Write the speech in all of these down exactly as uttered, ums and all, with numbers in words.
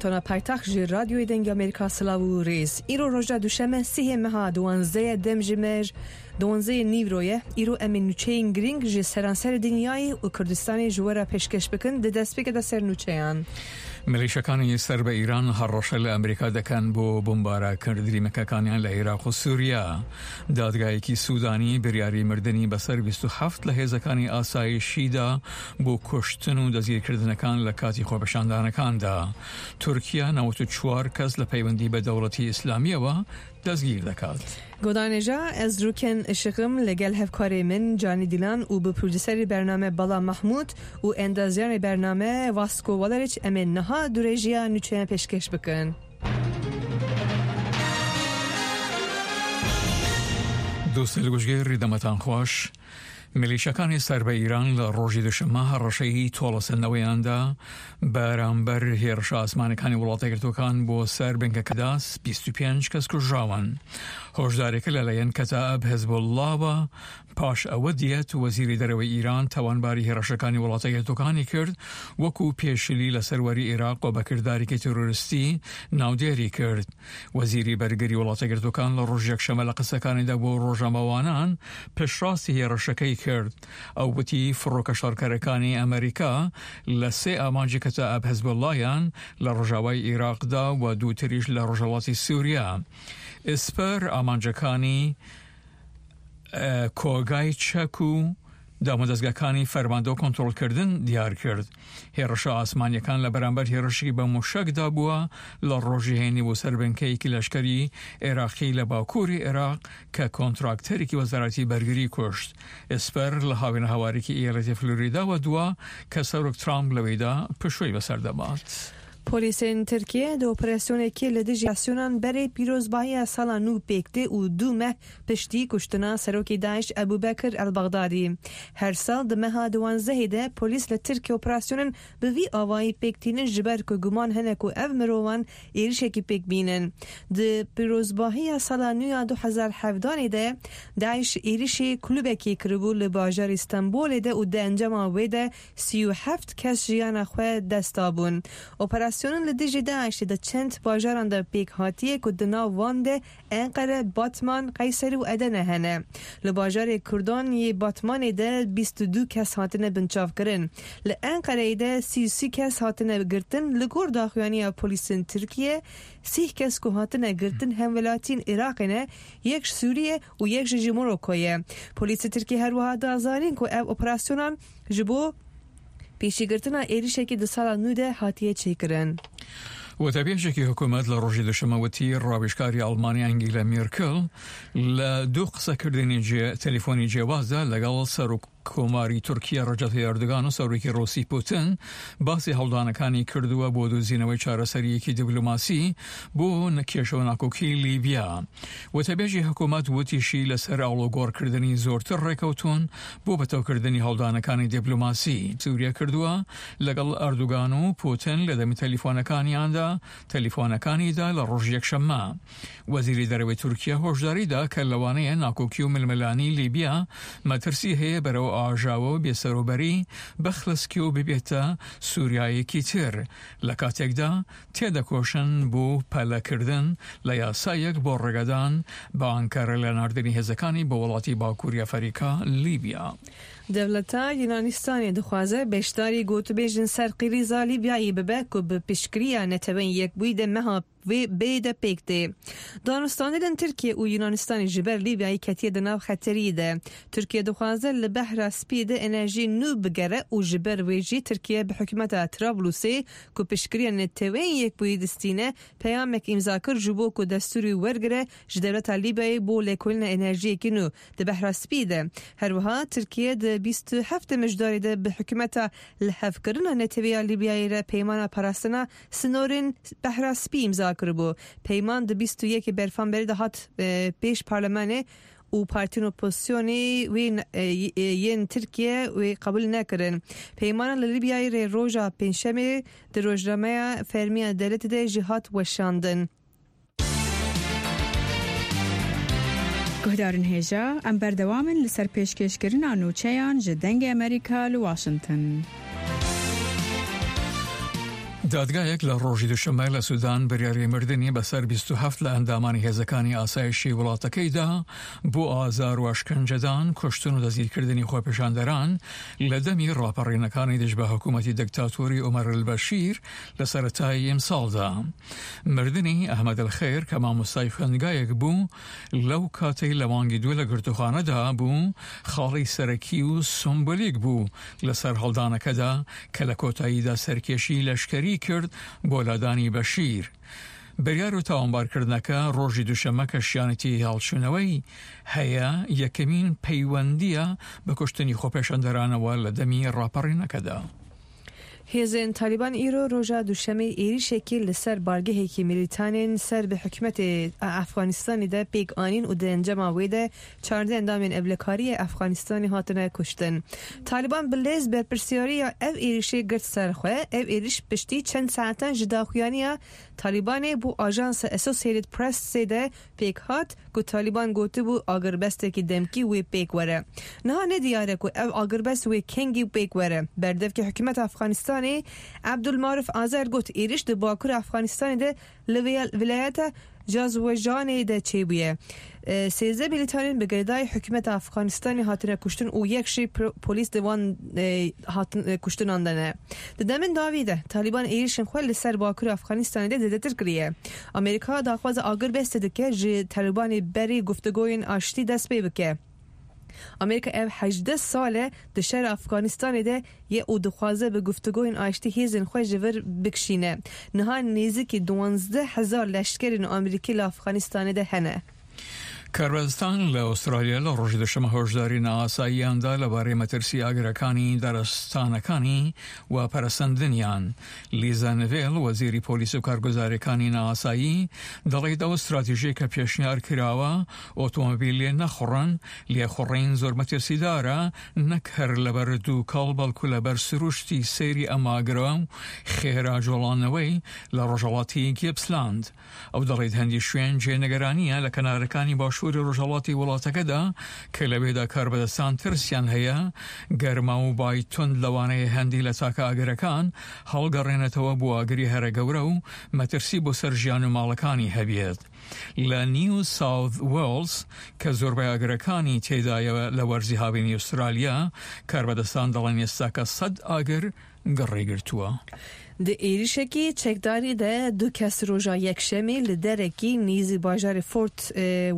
Tona paytext ji Radyoyê Dengê Amerîka silav û rêz. Îro roja duşeme sihê meha duwanzdeh demjimêr duwanzdeh nîvro ye. Îro em ê nûçeyên girîng ji seranserê dinyayê û Kurdistanê ji we re pêşkeş bikin di destpêkê de ser nûçeyan. میلیشەکانی سەر بە ئیران هەڕەشە لە ئەمریکا دەکەن بۆ بمبارەکردنی مەکەکانیان لە عێراق و سووریا. دادگایەکی سوودانی بریاری مردنی بەسەر بیست و حەفت لە هێزەکانی ئاسایشیدا بۆ کوشتن و دەستگیرکردنەکان لە کاتی خۆپێشاندانەکاندا. تورکیا نەوەت و چوار کەس لە پەیوەندی بە دەوڵەتی ئیسلامیەوە دەستگیر دەکات. گۆدانێژا ez rûken işiqim li gel hevkarê min Canî Dilan û bi produserê bername Bala Mahmûd û endazyanê bername Vasco Valeriç em ê niha dirêjiya nûçeyan pêşkeş bikin. دووستە گوشگێڕی دەمەتان خۆش. میلیشەکانی سەر بە ئیران لە ڕۆژی دوشەممە هەڕەشەی تۆڵەسەندنەوەیاندا بەرامبەر هێرشە ئاسمانەکانی وڵاتەگرتوەکان بۆ سەر بنکەکەدا بیست و پێنج کەس کوژراون. هۆشدارێکە لەلایەن کەتائب حزبوڵڵاوە پاش ئەوە دیەت وەزیری دەرەوەی ئیران تاوانباری هێرشەکانی وڵاتەگرتوەکانی کرد وەکو پێشلی لە سەروەری عێراق و بەکردارێکی تیرۆریستی ناودێری کرد. وەزیری بەرگری وڵاتەگرتوەکان لە ڕۆژ یەکشەممە لە قسەکانیدا بۆ ڕۆژنامەوانان پشتڕاستی هێرشەکەی کرد. ئەو وتی فڕۆکە شەڕکەرەکانی ئەمریکا لە سێ ئامانجی کەتائب حزبوڵڵایان لە ڕۆژاوای عێراقدا و دووتریش لە ڕۆژهەڵاتی سووریا. ئێسپەر ئامانجەکانی کۆگای چەک و دامودەزگاکانی فەرماندە و کۆنترۆڵکردن دیار کرد. هێرشە ئاسمانیەکان لە بەرامبەر هێرشی بە موشەکدا بووە لە ڕۆژی هێنی بۆ سەر بنکەیەکی لەشکەری عێراقی لە باکووری عێراق کە کۆنتراکتەرێکی وەزارەتی بەرگری کوشت. ئێسپەر لە هاوینە هاوارێکی ئیالەتی فلۆریداوە دووە کە سەرۆک ترامپ لەوێدا پشووی بەسەر دەبات. Polîsên Tirkiye di operasyonekê li dijî asyonan berê pîrozbahiya sala nû pêk tê û du meh piştî kuştina Serokê Daîş Ebûbekir El-Bexdadî. Her sal di meha duwanzdehê de polîs li Tirkiye operasyonên bi vî awayî pêk tînin ji ber ku guman hene ku ev mirovan êrişekî pêk bînin. Di pîrozbahiya sala nû ya du hezar hevdanê de Daîş êrişê kulûbekê kiribû li bajarê Stenbolê de û di encama wê de sî û heft kes jiyana xwe dest dabûn. Operasyon li dijî Daişê de çend bajaran de pêk hatiye ku di nav wan de Enqere, Batman, Qeyserî û Edene hene. Li bajarê Kurdan yê Batmanê de bîst û du kes hatine binçavkirin. Li Enqereyê de sî û sî kes hatine girtin. Li gor daxuyaniya polîsên Tirkiye sîh kes ku hatine girtin hemwelatiyên Iraqê ne, yek ji Sûriye û yek jî ji Moroko ye. Polîsê Tirkiye her wiha da zanîn ku ev operasyonan ji bo pêşîgirtina êrişekî di sala nû de hatiye çêkirin. وتەبێژێکی حکوومەت لە ڕۆژی دوشەممە وتی ڕاوێژکاری ئەڵمانیا ئەنگیلا مێرکل لە دوو قسەکردنی تەلەفۆنی جیاوازدا لەگەڵ سەرۆک کۆماری تورکیا ڕەجەب تەیب ئەردۆغان و سەرۆکی ڕوسی پوتن باسی هەوڵدانەکانی کردووە بۆ دۆزینەوەی چارەسەریەکی دیبلۆماسی بۆ کێشە و ناکۆکی لیبیا. وتەبێژی حکوومەت وتیشی لەسەر ئاڵوگۆڕکردنی زۆرتر ڕێکەوتون بۆ بەتەوکردنی هەوڵدانەکانی دیبلۆماسی سووریا کردووە لەگەڵ ئەردۆغان و پوتن لە دەمی تەلەفۆنەکانیاندا تەلەفۆنەکانیدا لە ڕۆژ یەکشەممە. وەزیری دەرەوەی تورکیا هۆشداریدا کە لەوانەیە ناکۆکی و ململانی لیبیا مەترسی هەیە بەرەو ئاژاوە و بێسەروبەری بەخلسکی و ببێتە سووریایەکی تر لە کاتێکدا تێدەکۆشن بۆ پەلەکردن لە یاسایەک بۆ ڕێگەدان بە ئەنکەرە لە ناردنی هێزەکانی بۆ وڵاتی باکووری ئەفریقا لیبیا. Dewleta Yunanistanê dixwaze beşdarî gotûbêjên ser qirîza Lîbyayê bibe ku bi piştgiriya Neteweyên Yekbûyî de meha vê bê de pêk tê. Danûstandinên Tirkiye û Yunanistanê ji ber Lîbyayê ketiye di nav xeteriyê de. Tirkiye dixwaze li Behra Spî de enerjî nû bigere û ji ber wê jî Tirkiye bi hikûmeta Trablusê ku piştgiriya Neteweyên Yekbûyî distîne peyamek îmza kir ji bo ku destûrê wergire ji dewleta Lîbyayê bo lêkolîna enerjiyekî nû di Behra Spî de. Her wiha Tirkiye di bîst û heft mijdarê de bi hikûmeta lihevkirina Neteweya Lîbyayê re peymana parastina sinorên Behra Spî îmza kiribû. Peyman di bîst û yekê berfanberê de hat pêş parlamenê û partiyên opozisyonê wê yên Tirkiye wê qebûl nekirin. Peymana li Lîbyayê re roja pêncşemê di rojnameya fermiya dewletê de jî hat weşandin. Guhdarên hêja em berdewam in li ser pêşkêşkirina nûçeyan ji Dengê Amerîka li Washington. دادگایەک لە ڕۆژی دوشەممە لە سودان بڕیاری مردنی بەسەر بیست و هەفت لە ئەندامانی هێزەکانی ئاسایشی وڵاتەکەیدا بۆ ئازار و ئەشکەنجەدان، کوشتن و دەستگیرکردنی خۆپێشاندەران لە دەمی ڕاپەڕینەکانی دژ بە حکوومەتی دکتاتۆری عومەر البەشیر لە سەرەتای ئیمساڵدا. مردنی ئەحمەد الخێر کە مامۆستای خوێندگایەک بوو لەو کاتەی لە مانگی دوو لە گرتوخانەدا بوو، خاڵی سەرەکی و سمبولیک بوو لە سەرهەڵدانەکەدا کە لە کۆتاییدا سەرکێشی لەشکەری کرد بۆ لادانی بەشیر. بڕیار و تاوانبارکردنەکە ڕۆژی دووشەممە کە شیانەتی هەڵچوونەوەی هەیە، یەکەمین پەیوەندییە بە کوشتنی خۆپێشاندەرانەوە لە دەمی ڕاپەڕینەکەدا. هێزێن تالیبان ئیرۆ ڕۆژا دووشەمێ ئێریشێکی لەسەر بارگەهێکی میلیتانێن سەر بە حکومەتی ئەفغانستانی دە پێک ئانین و دەنجەما وێدە چاردە ئەندامێن ئەبلەکاریە ئەفغانستانی هاتنە کوشتن. تالیبان بلێز بەرپرسیاریە ئەو ئێریشێ گرت سەرخوێ، ئەو ئێریش پشتی چەند ساعتان ji daxuyaniya Talibanê bû ajansa Associated Pressê de pêk hat ku Taliban gotibû agirbestekî demkî wê pêk were. Niha ne diyar e ku ev agirbest wê kengî pêk were. Berdevkê hikûmeta Efxanistanê Abdulmarif Azer got êriş di Bakur Efxanistanê de li vilayeta Jazwejanê de çêbûye. Sêzdeh milîtanên bi girêdayî hikûmeta Efxanistanê hatine kuştin û yek jî polîs di wan hatin kuştinan de ne. Di demên dawî de Taliban êrişên xwe li ser Bakur Efxanistanê de zêdetir kiriye. Amerîka daxwaza agirbestê dike ji Talibanê berî guftugoyên aştî dest pê bike. Amerîka ev hejdeh sal e di şerê Efxanistanê de ye û dixwaze bi guftugoyên aştî hêzên xwe ji vir bikişîne. Niha nêzîkî duwazdeh hezar leşkerên Amerîkî li Efxanistanê de hene. کاربەدەستان لە ئوسترالیا لە ڕۆژی دوشەممە هۆشداری نائاساییاندا لەبارەی مەترسی ئاگرەکانی دارستانەکانی و پەرەسەندنیان. لیزا نڤێل، وەزیری پۆلیس و کارگوزاریەکانی نائاسایی، دەڵێت ئەو استراتیژیە کە پێشنیار کراوە ئۆتۆمۆبیل لێ نەخوڕن، لێخوڕین زۆر مەترسیدارە، نەک هەر لەبەر دووکەڵ بەڵکو لەبەر سروشتی سەیری ئەم ئاگرە و خێرا جۆڵانەوەی لە ڕۆژهەڵاتی گیپسلاند. ئەو دەڵێت هەندی شوێن جێنەگەرانیە لە کەنارەکانی باشووری ڕۆژهەڵاتی وڵاتەکەدا کە لەوێدا کاربەدەستان ترسیان هەیە گەرما و بای توند لەوانەیە هەندی لە تاکە ئاگرەکان هەڵگەڕێنێتەوە بۆ ئاگری هەرە گەورە و مەترسی بۆ سەر ژیان و ماڵەکانی هەبێت. لە نیو ساوت وێڵز کە زۆربەی ئاگرەکانی تێدایە لە وەرزی هاوینی ئوسترالیا، کاربەدەستان دەڵێن ئێستاکە سەد ئاگر گڕی گرتووە. Di êrişekî çekdarî de du kes roja yekşemê li derekî nêzî bajarê Fort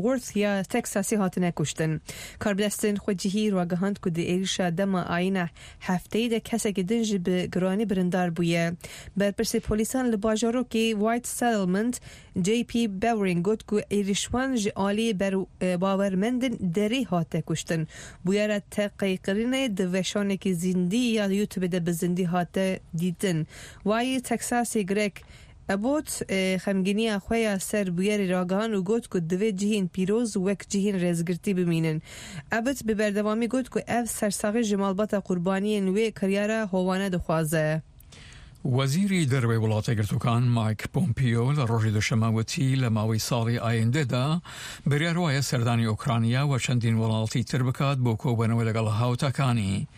Worth ya Teksasê hatine kuştin. Karbidestên xwecihî ragihand ku di êrişa dema ayîna hefteyê de kesekî din jî bi giranî birindar bûye. Berpirsê polîsan li bajarokê White Settlement J P Bowering got ku êrişwan ji aliyê bawermendên derê hate kuştin. Bûyera teqîkirinê di weşanekî zindî ya YouTubeê de bi zindî hate dîtin. Waliyê Teksasê Greg Abbott xemgîniya xwe ya ser bûyerê ragihand û got ku divê cihên pîroz wek cihên rêzgirtî bimînin. Abbott bi berdewamî got ku ev sersaxî ji malbata qurbaniyên wê kiryara hovane dixwaze. وەزیری دەرەوەی وڵاتە گرتوەکان مایک پۆمپیۆ لە ڕۆژی دوشەممە وتی لە ماوەی ساڵی ئایندەدا بڕیار وایە سەردانی ئۆکرانیا و چەندین وڵاتی تر بکات بۆ کۆبوونەوە لەگەڵ هاوتاکانی.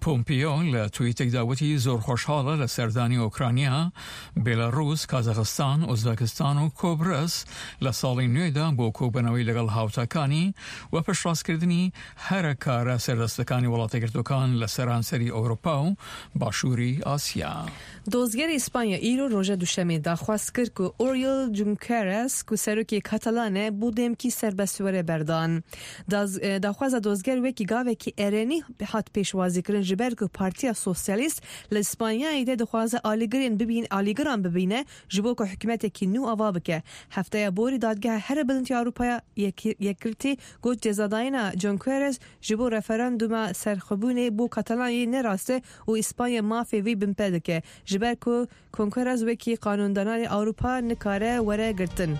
پۆمپیۆ لە تویتێکدا وتی زۆر خۆشحاڵە لە سەردانی ئۆکرانیا، بێلاڕوس، کازاخستان، ئۆزبەکستان و کۆبرس لە ساڵی نوێدا بۆ کۆبوونەوەی لەگەڵ هاوتاکانی و پشتڕاستکردنی هەرە کارە سەردەستەکانی وڵاتە گرتوەکان لە سەرانسەری ئەوروپا و باشووری ئاسیا. دۆزگەری ئیسپانیا ئیرۆ ڕۆژە دوشەمێ داخواست کرد ku Oriol Junqueras ku serokê Katalanê bû demkî serbest were berdan. Daxwaza dozger wekî gavekî erênî hat pêşwazîkirin ji ber ku Partiya Sosyalîst li İspanyayê de dixwaze alîgirên bibîn alîgiran bibîne ji bo ku hikûmetekî nû ava bike. Hefteya borî dadgeha herî bilind ya Ewropaya Yekgirtî got cezadayîna Junqueras ji bo referanduma serxwebûnê bo Katalanyayê ne rast e û İspanya mafê wî binpê dike. Ji ber ku Junqueras wekî qanûndanarê Ewropa nikare were girtin.